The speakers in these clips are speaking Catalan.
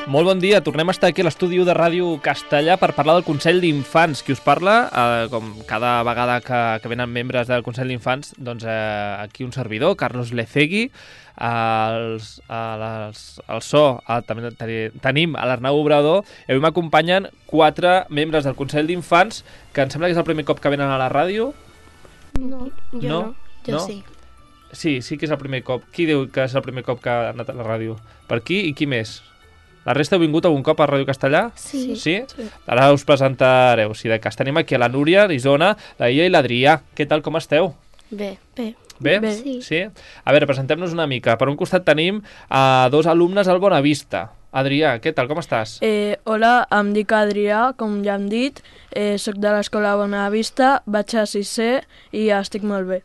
Molt bon dia, tornem a estar aquí a l'estudi de Ràdio Castellà per parlar del Consell d'Infants. Qui us parla, com cada vegada que venen membres del Consell d'Infants, doncs aquí un servidor, Carlos Lecegui, al so, també tenim a l'Arnau Obrador, i avui m'acompanyen 4 membres del Consell d'Infants, que em sembla que és el primer cop que venen a la ràdio. No, jo no. Jo sí. Sí que és el primer cop. Qui diu que és el primer cop que ha anat a la ràdio? Per aquí i qui més? La resta heu vingut algun cop a Ràdio Castellà? Sí. Sí? Ara us presentareu, si de cas. Tenim aquí a la Núria, l'Isona, la Ia i l'Adrià. Què tal, com esteu? Bé. Bé? Sí. A veure, presentem-nos una mica. Per un costat tenim 2 alumnes al Bonavista. Adrià, què tal, com estàs? Hola, em dic Adrià, com ja hem dit. Soc de l'escola Bonavista, vaig a 6è i estic molt bé.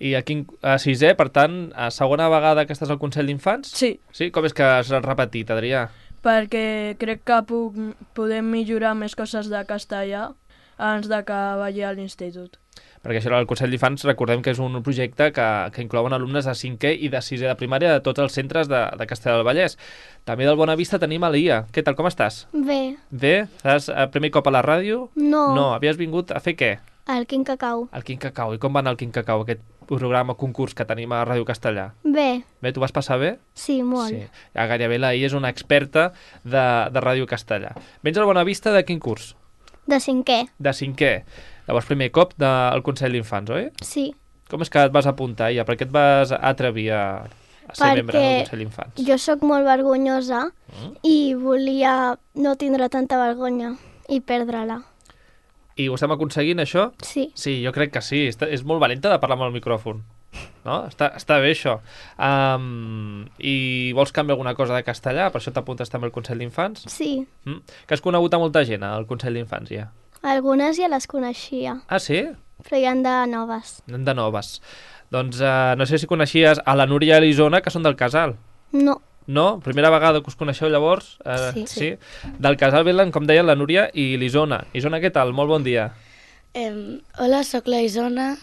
I aquí a 6è, per tant, a segona vegada que estàs al Consell d'Infants? Sí. Sí? Com és que has repetit, Adrià? Perquè crec que podem millorar més coses de castellà abans de que vagi a l'institut. Perquè això del Consell d'Infants, recordem que és un projecte que inclouen alumnes de 5è i de 6è de primària de tots els centres de Castellar del Vallès. També del Bonavista tenim a l'Ia. Què tal, com estàs? Bé. Bé? Estàs el primer cop a la ràdio? No. No, havies vingut a fer què? El Quin Cacau. El Quin Cacau. I com va anar el Quin Cacau, aquest programa, concurs que tenim a Ràdio Castellà? Bé. Bé, tu vas passar bé? Sí, molt. Sí. Ja, gairebé la Ia és una experta de Ràdio Castellà. Vens al Bonavista de quin curs? De 5è. De 5è. Llavors, primer cop del Consell d'Infants, oi? Sí. Com és que et vas apuntar, Ia? Per què et vas atrevir a ser membre del Consell d'Infants? Jo sóc molt vergonyosa i volia no tindre tanta vergonya i perdre-la. I ho estem aconseguint, això? Sí. Sí, jo crec que sí. És molt valenta de parlar amb el micròfon. No? Està bé, això. I vols canviar alguna cosa de castellà? Per això t'apuntes també al Consell d'Infants? Sí. Que has conegut a molta gent al Consell d'Infants, ja? Algunes ja les coneixia. Ah, sí? Però hi ha de noves. De noves. Doncs no sé si coneixies a la Núria i l'Isona, que són del Casal. No. No? Primera vegada que us coneixeu llavors? Sí. Del Casal venen, com deien, la Núria i l'Isona. Isona, què tal? Molt bon dia. Hola, sóc la Isona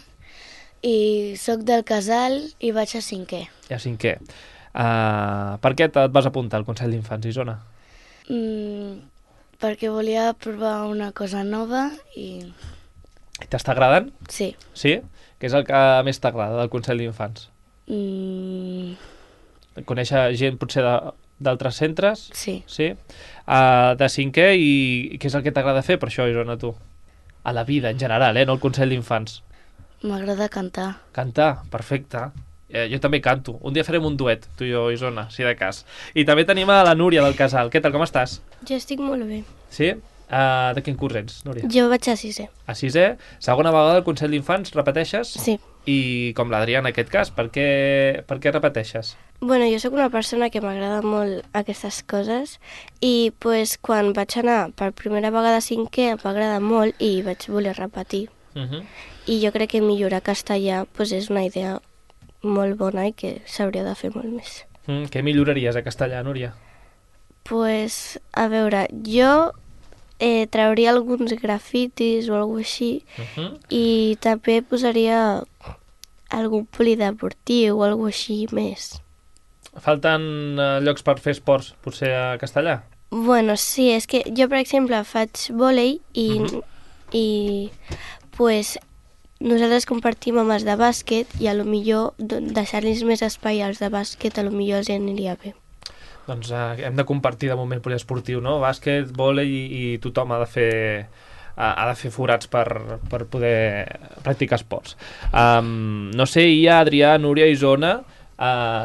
i sóc del Casal i vaig a 5è. A 5è. Per què et vas apuntar al Consell d'Infants, Isona? Perquè volia provar una cosa nova i... T'està agradant? Sí. Sí? Què és el que més t'agrada del Consell d'Infants? Conèixer gent potser d'altres centres? Sí. Sí? De 5è i què és el que t'agrada fer per això, Isona, tu? A la vida, en general, no al Consell d'Infants. M'agrada cantar. Cantar? Perfecte. Jo també canto. Un dia farem un duet, tu i jo, Isona, si de cas. I també tenim a la Núria del Casal. Què tal, com estàs? Jo estic molt bé. Sí? De quin curs ets, Núria? Jo vaig a 6è. A 6è? Segona vegada al Consell d'Infants, repeteixes? Sí. I com l'Adrià en aquest cas, per què repeteixes? Bueno, jo sóc una persona que m'agrada molt aquestes coses i pues, quan vaig anar per primera vegada a 5è em va agradar molt i vaig voler repetir. I jo crec que millorar castellà pues, és una idea molt bona i que s'hauria de fer molt més. Què milloraries a castellà, Núria? Pues, a veure, jo trauria alguns grafitis o alguna així i també posaria algun polideportiu o alguna així més. Falten llocs per fer esports, potser a castellà? Bueno, sí, és que jo, per exemple, faig vòlei i pues, nosaltres compartim amb els de bàsquet i potser deixar-los més espai als de bàsquet potser els aniria bé. Doncs hem de compartir de moment poliesportiu, no? Bàsquet, vòlei i tothom ha de fer forats per poder practicar esports. No sé, Adrià, Núria i Isona,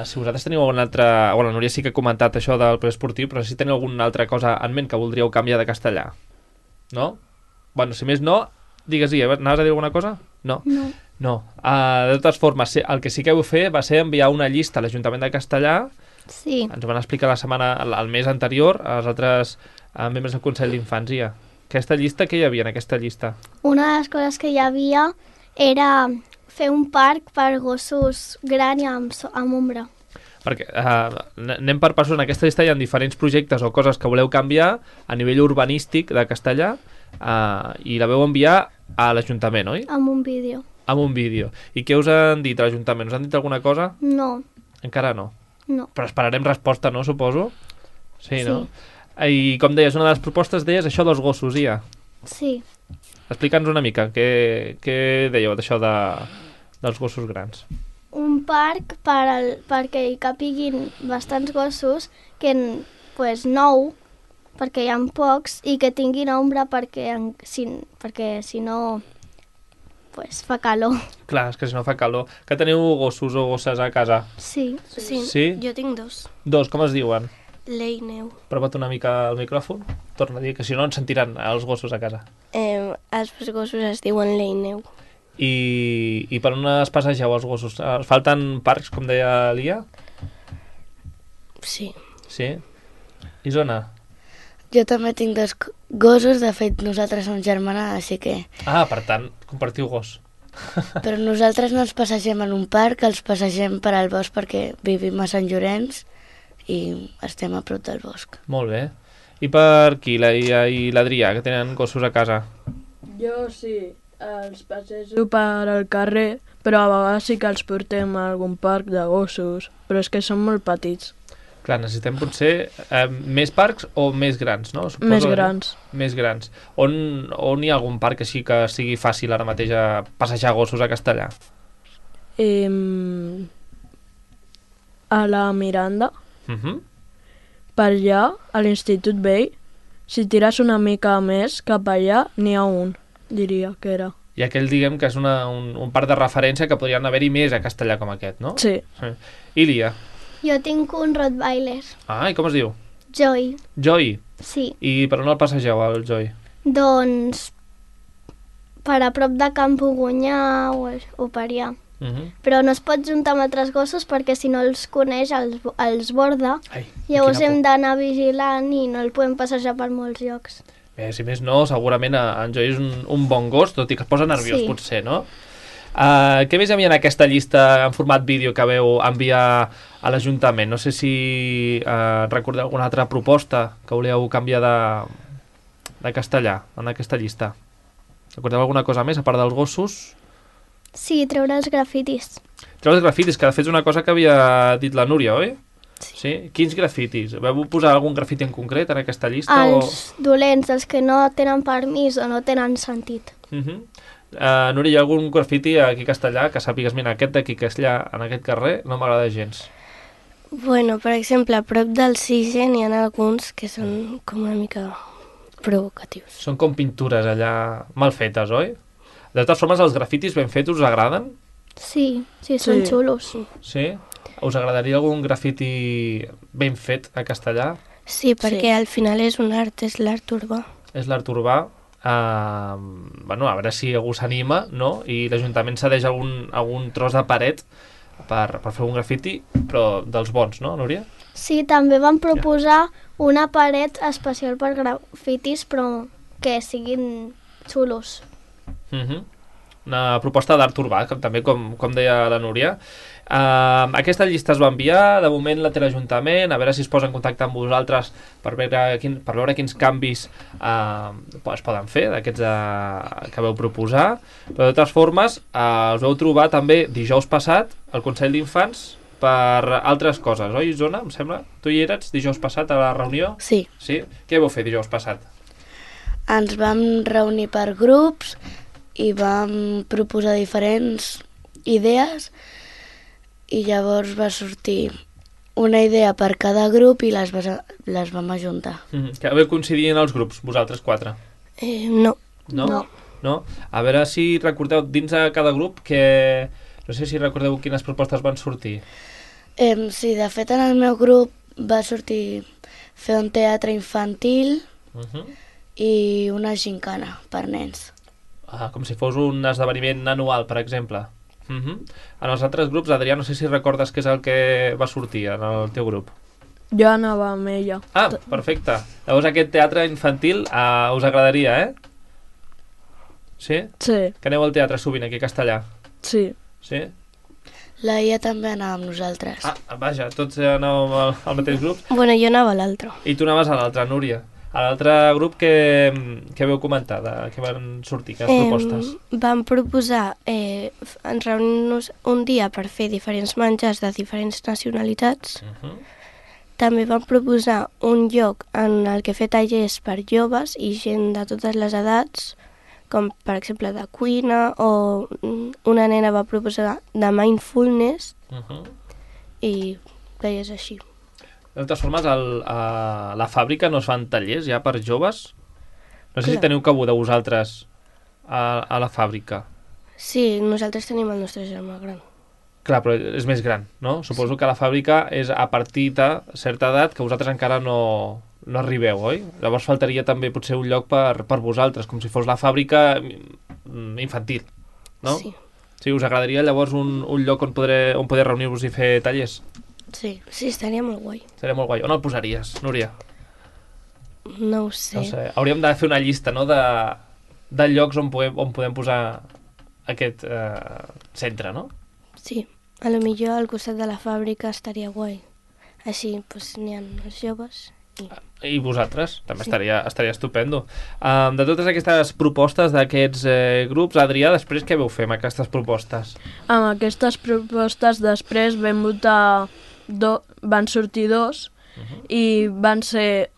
si vosaltres teniu alguna altra... Bueno, la Núria sí que ha comentat això del poliesportiu, però si teniu alguna altra cosa en ment que voldríeu canviar de castellà. No? Bueno, si més no, digues-hi, anaves a dir alguna cosa? No. No. De totes formes, el que sí que heu fet va ser enviar una llista a l'Ajuntament de Castellà. Sí. Ens ho van explicar el mes anterior als altres membres del Consell d'Infants. Aquesta llista, què hi havia en aquesta llista? Una de les coses que hi havia era fer un parc per gossos gran i amb ombra. Perquè anem per passos. En aquesta llista hi ha diferents projectes o coses que voleu canviar a nivell urbanístic de Castellà i la veu enviar a l'Ajuntament, oi? Amb un vídeo. Amb un vídeo. I què us han dit a l'Ajuntament? Us han dit alguna cosa? No. Encara no. No. Però esperarem resposta, no, suposo? Sí, no? I com deies, una de les propostes deies això dels gossos, Ia. Sí. Explica'ns una mica, què dèieu d'això dels gossos grans? Un parc perquè hi capiguin bastants gossos, que pues, 9, perquè hi ha pocs, i que tinguin ombra perquè si no pues, fa calor. Clar, és que si no fa calor. Que teniu gossos o gosses a casa? Sí. Sí? Jo tinc 2. 2, com es diuen? Lei Neu. Prova't una mica el micròfon. Torna a dir, que si no ens sentiran els gossos a casa. Els gossos es diuen Lei Neu. I per on es passegeu els gossos? Falten parcs, com deia l'Ia? Sí. Sí? Isona? Jo també tinc 2 gossos, de fet nosaltres som germanades, així que... Ah, per tant, compartiu gos. Però nosaltres no ens passegem en un parc, els passegem per al bosc perquè vivim a Sant Llorenç i estem a prop del bosc. Molt bé. I per aquí, la Ia i l'Adrià, que tenen gossos a casa? Jo sí, els passejo per al carrer, però a vegades sí que els portem a algun parc de gossos, però és que són molt petits. Clar, necessitem potser més parcs o més grans, no? Suposo, Més grans. Més grans. On hi ha algun parc així que sigui fàcil ara mateix a passejar gossos a Castellà? A la Miranda, per allà, a l'Institut Vell, si tires una mica més cap allà, n'hi ha un, diria que era. I aquell, diguem, que és un parc de referència que podrien haver-hi més a Castellà com aquest, no? Sí. I l'Ia? Jo tinc un Rottweiler. Ah, i com es diu? Joy. Joy? Sí. I per on el passegeu, el Joy? Doncs per a prop de Can Pugunyà o per allà. Però no es pot juntar amb altres gossos perquè si no els coneix els borda. Ai, Llavors quina hem por. d'anar vigilant i no el podem passejar per molts llocs. Bé, si més no, segurament en Joy és un bon gos, tot i que es posa nerviós, Sí. potser, no? Què més hi havia en aquesta llista en format vídeo que veu enviar a l'Ajuntament? No sé si recordeu alguna altra proposta que volíeu canviar de castellà en aquesta llista. Recordeu alguna cosa més, a part dels gossos? Sí, treure els grafitis. Treure els grafitis, que de fet és una cosa que havia dit la Núria, oi? Sí. Quins grafitis? Vau posar algun grafiti en concret en aquesta llista? Els dolents, els que no tenen permís o no tenen sentit. Núria, hi ha algun grafiti aquí a Castellà que sàpigues, mira, aquest d'aquí que és allà en aquest carrer no m'agrada gens? Bueno, per exemple, a prop del Cigen hi ha alguns que són com una mica provocatius. Són com pintures allà mal fetes, oi? De totes formes, els grafitis ben fets us agraden? Sí, són xulos. Sí? Us agradaria algun grafiti ben fet a Castellà? Sí, perquè al final és un art, és l'art urbà. És l'art urbà. Bueno, a veure si algú s'anima, no? I l'Ajuntament cedeix algun tros de paret per fer un grafiti, però dels bons, no, Núria? Sí, també vam proposar una paret especial per grafitis, però que siguin xulos. Una proposta d'art urbà, també com deia la Núria. Aquesta llista es va enviar, de moment la té l'Ajuntament, a veure si es posa en contacte amb vosaltres per veure quins canvis es poden fer d'aquests que veu proposar, però de totes formes us vau trobar també dijous passat al Consell d'Infants per altres coses, oi, Isona, em sembla? Tu hi eres dijous passat a la reunió? Sí. Sí? Què vau fer dijous passat? Ens vam reunir per grups i vam proposar diferents idees i llavors va sortir una idea per cada grup i les vam ajuntar. Que vau coincidir en els grups, vosaltres 4? No. No? A veure si recordeu dins de cada grup que... No sé si recordeu quines propostes van sortir. Sí, de fet en el meu grup va sortir fer un teatre infantil i una gincana per nens. Com si fos un esdeveniment anual, per exemple. En els altres grups, Adrià, no sé si recordes què és el que va sortir en el teu grup. Jo anava amb ella. Ah, perfecte. Llavors aquest teatre infantil us agradaria, Sí? Sí. Que aneu al teatre sovint aquí a Castellà? Sí. Sí? La Ia també anava amb nosaltres. Vaja, tots anàvem al mateix grup. Bueno, jo anava a l'altre. I tu anaves a l'altre, Núria. A l'altre grup què veu comentar? Què van sortir? Quines propostes? Vam proposar reunir-nos un dia per fer diferents menjars de diferents nacionalitats també van proposar un lloc en el que fer tallers per joves i gent de totes les edats, com per exemple de cuina, o una nena va proposar de mindfulness i tallers així. De totes formes, a la fàbrica no es fan tallers ja per joves? No sé si Clar. teniu cabuda vosaltres a la fàbrica. Sí, nosaltres tenim el nostre germà gran. Clar, però és més gran, no? Suposo que la fàbrica és a partir de certa edat que vosaltres encara no arribeu, oi? Llavors faltaria també potser un lloc per vosaltres, com si fos la fàbrica infantil, no? Sí. Sí, us agradaria llavors un lloc on poder reunir-vos i fer tallers? Sí, estaria molt guai. Seria molt guai. On el posaries, Núria? No ho sé. No sé. Hauríem de fer una llista, no?, de llocs on podem posar aquest centre, no? Sí, a lo millor al costat de la fàbrica estaria guai. Així doncs, n'hi ha els joves I vosaltres, també Sí. estaria estupendo. De totes aquestes propostes d'aquests grups, Adrià, després què veu fer amb aquestes propostes? Amb aquestes propostes després vam votar, van sortir dos i van ser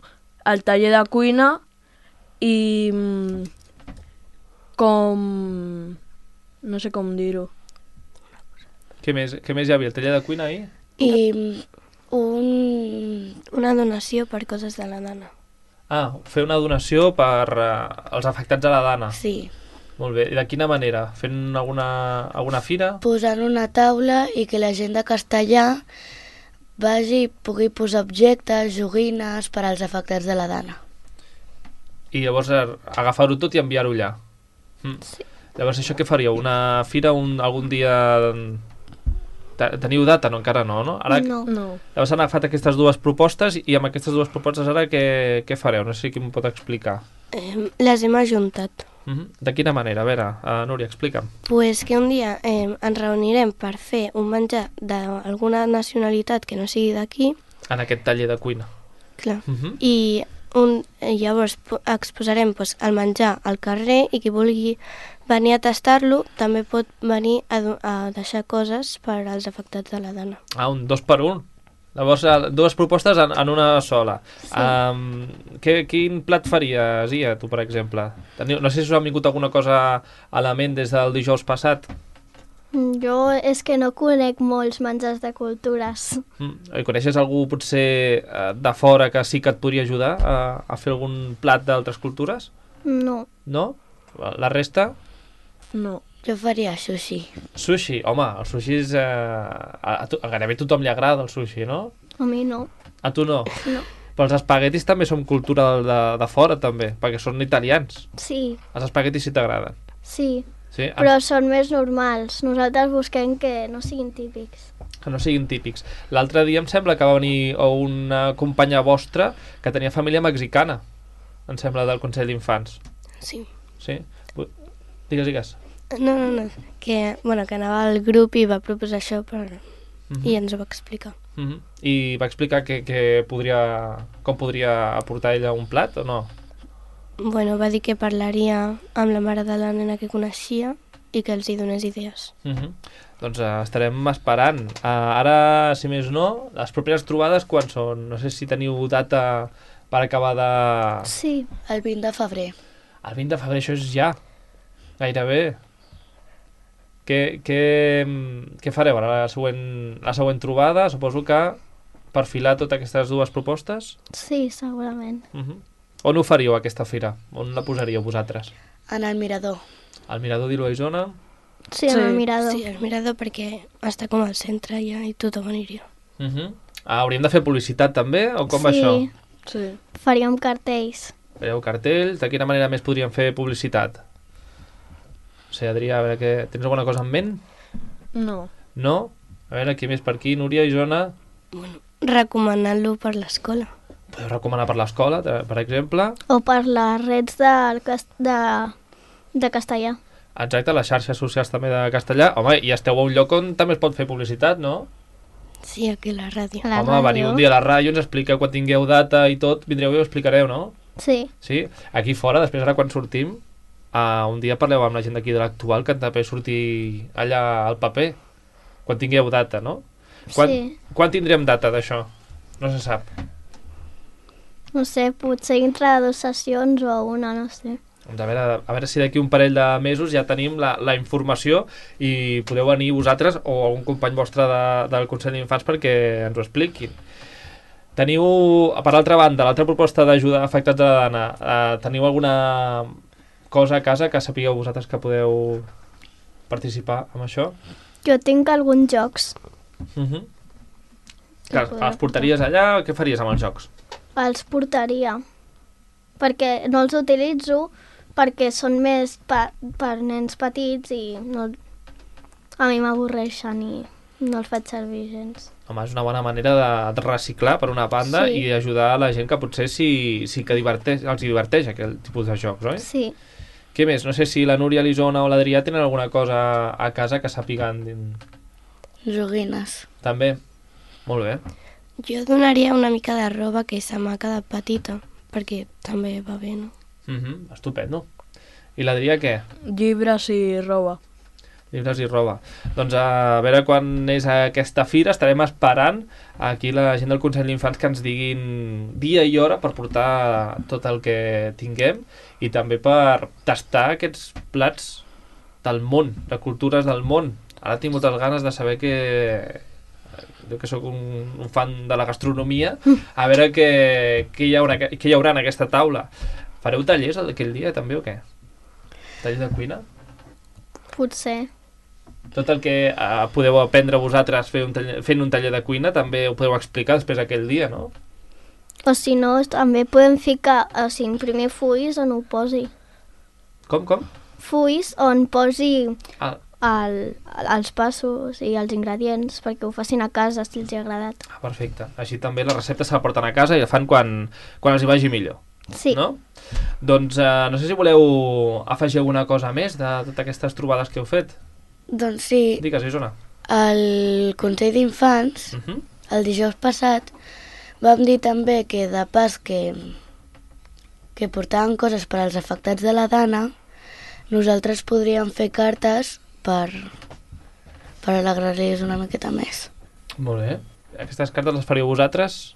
el taller de cuina i com... no sé com dir-ho. Què més hi havia? El taller de cuina ahir? I una donació per coses de la dona. Ah, fer una donació per als afectats a la dana. sí, Molt bé. I de quina manera? Fent alguna fira? posant una taula i que la gent de Castellà vagi i pugui posar objectes, joguines per als afectats de la dana. I llavors agafar-ho tot i enviar-ho allà. Sí. Llavors això què faríeu? Una fira algun dia... Teniu data? No, encara no, no? Ara, No. No. llavors han agafat aquestes dues propostes i amb aquestes dues propostes ara què fareu? No sé qui m'ho pot explicar. Les hem ajuntat. De quina manera? A veure, Núria, explica'm. Pues que un dia ens reunirem per fer un menjar d'alguna nacionalitat que no sigui d'aquí, En aquest taller de cuina. clar, i llavors exposarem el menjar al carrer i qui vulgui venir a tastar-lo també pot venir a deixar coses per als afectats de la dona. Ah, un 2 per 1. Llavors, dues propostes en una sola. Sí. Quin plat faries, Ia, tu, per exemple? No sé si us ha vingut alguna cosa a la ment des del dijous passat. Jo és que no conec molts menjars de cultures. I coneixes algú, potser, de fora que sí que et podria ajudar a fer algun plat d'altres cultures? No. No? La resta? No. Jo faria sushi. Sushi. Home, el sushi és... a gairebé tothom li agrada el sushi, no? A mi no. A tu no? No. Però els espaguetis també són cultura de fora, també, perquè són italians. Sí, Els espaguetis sí t'agraden. sí, Sí? però són més normals. Nosaltres busquem que no siguin típics. Que no siguin típics. L'altre dia em sembla que va venir una companya vostra que tenia família mexicana, em sembla, del Consell d'Infants. Sí. Sí? Digues. No. Que anava al grup i va proposar això i ens ho va explicar. I va explicar com podria aportar ella un plat o no? Bueno, va dir que parlaria amb la mare de la nena que coneixia i que els hi donés idees. Doncs estarem esperant. Ara, si més no, les properes trobades quan són? No sé si teniu data per acabar de... Sí, El 20 de febrer. El 20 de febrer, això és ja. Gairebé. Què fareu ara? La següent trobada, suposo que perfilar totes aquestes dues propostes? sí, segurament. On ho faríeu, aquesta fira? On la posaríeu vosaltres? En el mirador. Al mirador d'Ilo a Isona? Sí, en el mirador. Sí, el mirador perquè està com al centre ja i tothom aniria. Hauríem de fer publicitat també? O com va això? Sí. Faríem cartells. Fareu cartells? De quina manera més podríem fer publicitat? No sé, Adrià, a veure, tens alguna cosa en ment? No. No? A veure, qui més per aquí? Núria, Isona? Recomanant-lo per l'escola. Podeu recomanar per l'escola, per exemple? O per les reds de castellà. Exacte, les xarxes socials també de castellà. Home, i esteu a un lloc on també es pot fer publicitat, no? Sí, aquí a la ràdio. A la Home, veniu un dia a la ràdio, ens expliqueu quan tingueu data i tot, vindreu i ho explicareu, no? Sí, Sí? Aquí fora, després ara quan sortim, un dia parleu amb la gent d'aquí de l'Actual que també sortir allà al paper, quan tingueu data, no? sí. Quan tindrem data d'això? No se sap. No sé, potser dintre de 2 sessions o una, no sé. Doncs a veure si d'aquí un parell de mesos ja tenim la informació i podeu venir vosaltres o algun company vostre del Consell d'Infants perquè ens ho expliquin. Teniu, per altra banda, l'altra proposta d'ajudar afectats de la dana, teniu alguna cosa a casa que sapigueu vosaltres que podeu participar amb això? Jo tinc alguns jocs. Que els portaries allà? Què faries amb els jocs? Els portaria. Perquè no els utilitzo, perquè són més per nens petits i no, a mi m'avorreixen i no els faig servir gens. Home, és una bona manera de reciclar per una banda Sí. i ajudar a la gent que potser sí que els diverteix aquell tipus de jocs, oi? Sí. Què més? No sé si la Núria, l'Isona o l'Adrià tenen alguna cosa a casa que sàpiguen. Joguines. També? Molt bé. Jo donaria una mica de roba que se m'ha quedat petita, perquè també va bé, no? Estupendo. I l'Adrià què? Llibres i roba. Llibres i roba. Doncs a veure quan és aquesta fira, estarem esperant aquí la gent del Consell d'Infants que ens diguin dia i hora per portar tot el que tinguem i també per tastar aquests plats del món, de cultures del món. Ara tinc moltes ganes de saber jo que sóc un fan de la gastronomia, a veure què hi haurà en aquesta taula. Fareu tallers aquell dia també o què? Tallers de cuina? Potser. Tot el que podeu aprendre vosaltres fent un taller de cuina també ho podeu explicar després aquell dia, no? O si no, també podem ficar, o sigui, imprimir fulls on ho posi. Com? Fulls on posi Ah, els passos i els ingredients perquè ho facin a casa si els ha agradat. perfecte. Així també la recepta se la porten a casa i la fan quan els hi vagi millor. Sí. No? Doncs no sé si voleu afegir alguna cosa més de totes aquestes trobades que heu fet. Doncs sí, Digues, Isona. el Consell d'Infants, el dijous passat, vam dir també que de pas que portaven coses per als afectats de la dana, nosaltres podríem fer cartes per alegrar-los una miqueta més. Molt bé. Aquestes cartes les faríeu vosaltres?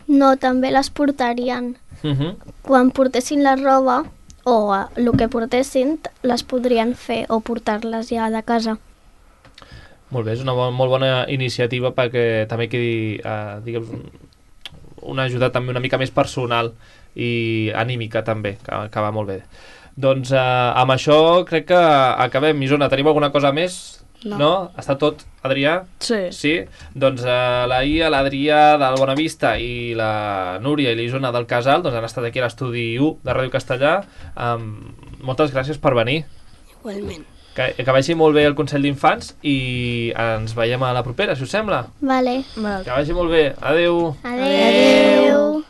No, també les portarien. Quan portessin la roba o el que portessin, les podrien fer o portar-les ja de casa. Molt bé, és una molt bona iniciativa perquè també quedi, diguem, una ajuda també una mica més personal i anímica també, que va molt bé. Doncs amb això crec que acabem. Isona, tenim alguna cosa més? No? Està tot, Adrià? Sí. Sí? Doncs la Ia, l'Adrià del Bonavista i la Núria i l'Isona del Casal doncs han estat aquí a l'estudi 1 de Ràdio Castellà. Moltes gràcies per venir. Igualment. Que vagi molt bé el Consell d'Infants i ens veiem a la propera, si us sembla. Vale. Que vagi molt bé. Adeu. Adeu.